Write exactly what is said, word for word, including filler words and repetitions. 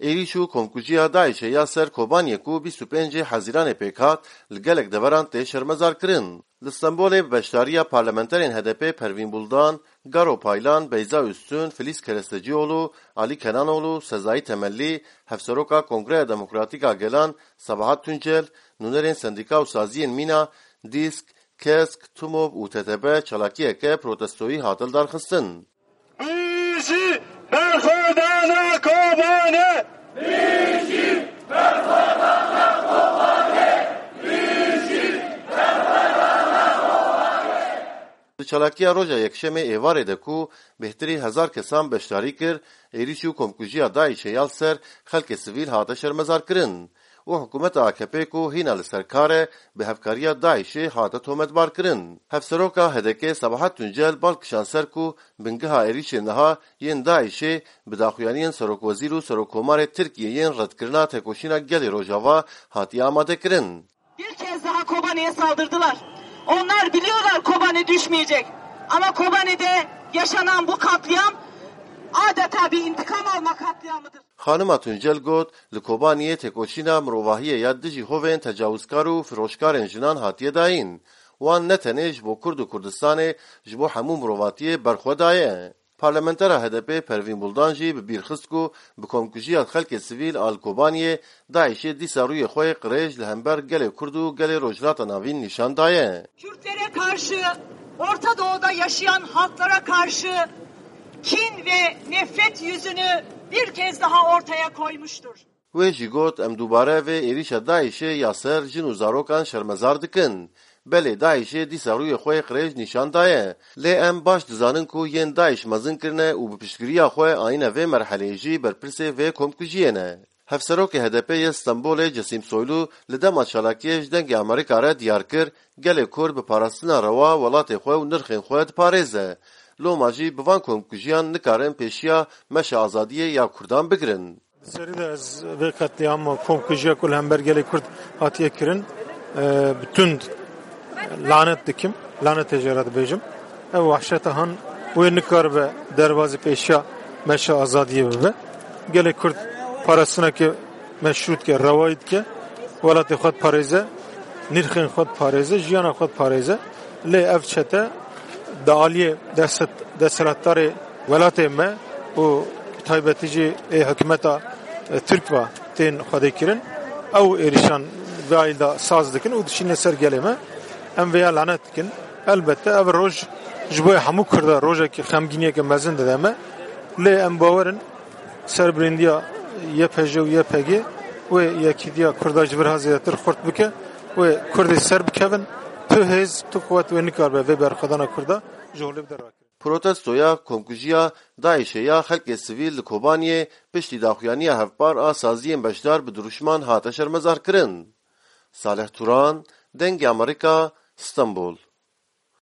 Êrîş û komkujiya DAIŞê ya ser Kobaniyê ku bîst û pêncê Hezîranê pêk hat, li gelek deveran tê şermezarkirin. Li Stenbolê bi beşdariya parlamenterên H D P Pervîn Buldan, Garo Paylan, Beyza Üstün, Filiz Kerestecioğlu, Ali Kenanoğlu, Sezai Temelli, Hevseroka Kongreya Demokratîk a Gelan Sabahat Tuncel, nûnerên sendîka û saziyên mîna, DISK, KESK, TUMOV û T T B çalakiyeke protestoyî hat lidarxistin. Bijî berxwedana Kobanê! Di çalakiya roja Yekşemê êvarê de ku bêhtirî hezar kesan beşdarî kir, êrîş û komkujiya DAIŞê ya li ser xelkê sivîl hate şermezarkirin û hikûmeta A K P ku hîna li ser kar e, bi hevkariya DAIŞê hate tometbarkirin. Hevseroka H D K Sabahat Tuncel bal kişand ser ku bingeha êrîşên niha yên DAIŞê bi daxuyaniyên serokwezîr û serokkomarê Tirkiyê yên redkirina têkoşîna gelê Rojava hatiye amadekirin. Bir kez daha Kobane'ye saldırdılar. Onlar biliyorlar Kobane düşmeyecek. Ama Kobane'de yaşanan bu katliam adeta bir intikam alma katliamıdır. Xanima Tuncel got, li Kobaniyê têkoşîna mirovahiyê ya dijî hovên tecawizkar û firoşkarên jinan hatiye dayîn. Wan ne tenê ji bo Kurd û Kurdistanê, ji bo hemû mirovatiyê berxwe daye. Parlamentera H D P Pervîn Buldan jî bi bîr xist ku bi komkujiya xelkê sivîl a li Kobaniyê DAIŞê dîsa rûyê xwe yê qirêj li hember gelê Kurd û gelê Rojhilata Navîn nîşan daye. Kürtlere karşı, Orta Doğu'da yaşayan halklara karşı kin ve nefret yüzünü bir kez daha ortaya koymuştur. Wê jî got, em dubare vê êrîşa DAIŞê ya ser jin û zarokan şermezar dikin. Belê DAIŞê dîsa rûyê xwe yê qirêj nîşan daye. Lê em baş dizanin ku yên DAIŞ mezin kirine û bi piştgiriya xwe ayîne vê merheleyê jî berpirsê vê komkujiyê ne. Hevserokê H D P yê Stenbolê Cesim Soylu li dema çalakiyê ji Dengê Amerîka re diyar kir, gelê Kurd bi parastina rewa welatê xwe û nirxên xwe diparêze. Loma jî bi van komkujiyan nikarin pêşiya meşa azadiyê ya Kurdan bigirin. Di serî de ez vê qetlîama komkujiya ku li hember gelê Kurd hatiye kirin, e, bi tund lanet dikim, lanetê jê re dibêjim. Ev wehşeta han wê nikaribe derbazî pêşiya meşa azadiyê bibe. Gelê Kurd parastineke meşrû dike, rewayî dike, welatê xwe diparêze, nirxên xwe diparêze, jiyana xwe diparêze. Lê ev çete di aliyê deset-, desthilatdarê welatê me û bi taybetî jî ê hikûmeta, e, Tirk ve tên xwedê kirin. Ew êrîşan vê alî de saz dikin û dişîne ser gelê me. Em vêya lanet dikin. Elbette ev roj ji bo hemû Kurda rojekî xemgîniyeke mezin dide me. Lê em bawer in serbirîndiya Y P J û Y P G wê yekîtiya Kurda ji vir ha zêdetir xurt bike, wê Kurdê ser bikevin, tu hêz, tu quwet wê nikaribe vê berxwedana Kurda ji holê bide rakirin. Protestoya komkujiya DAIŞê ya xelkê sivîl li Kobaniyê piştî daxuyaniya hevpar a saziyên beşdar bi dirûşman hate şermezarkirin. Salih Turan, Dengê Amerîka, Stenbol.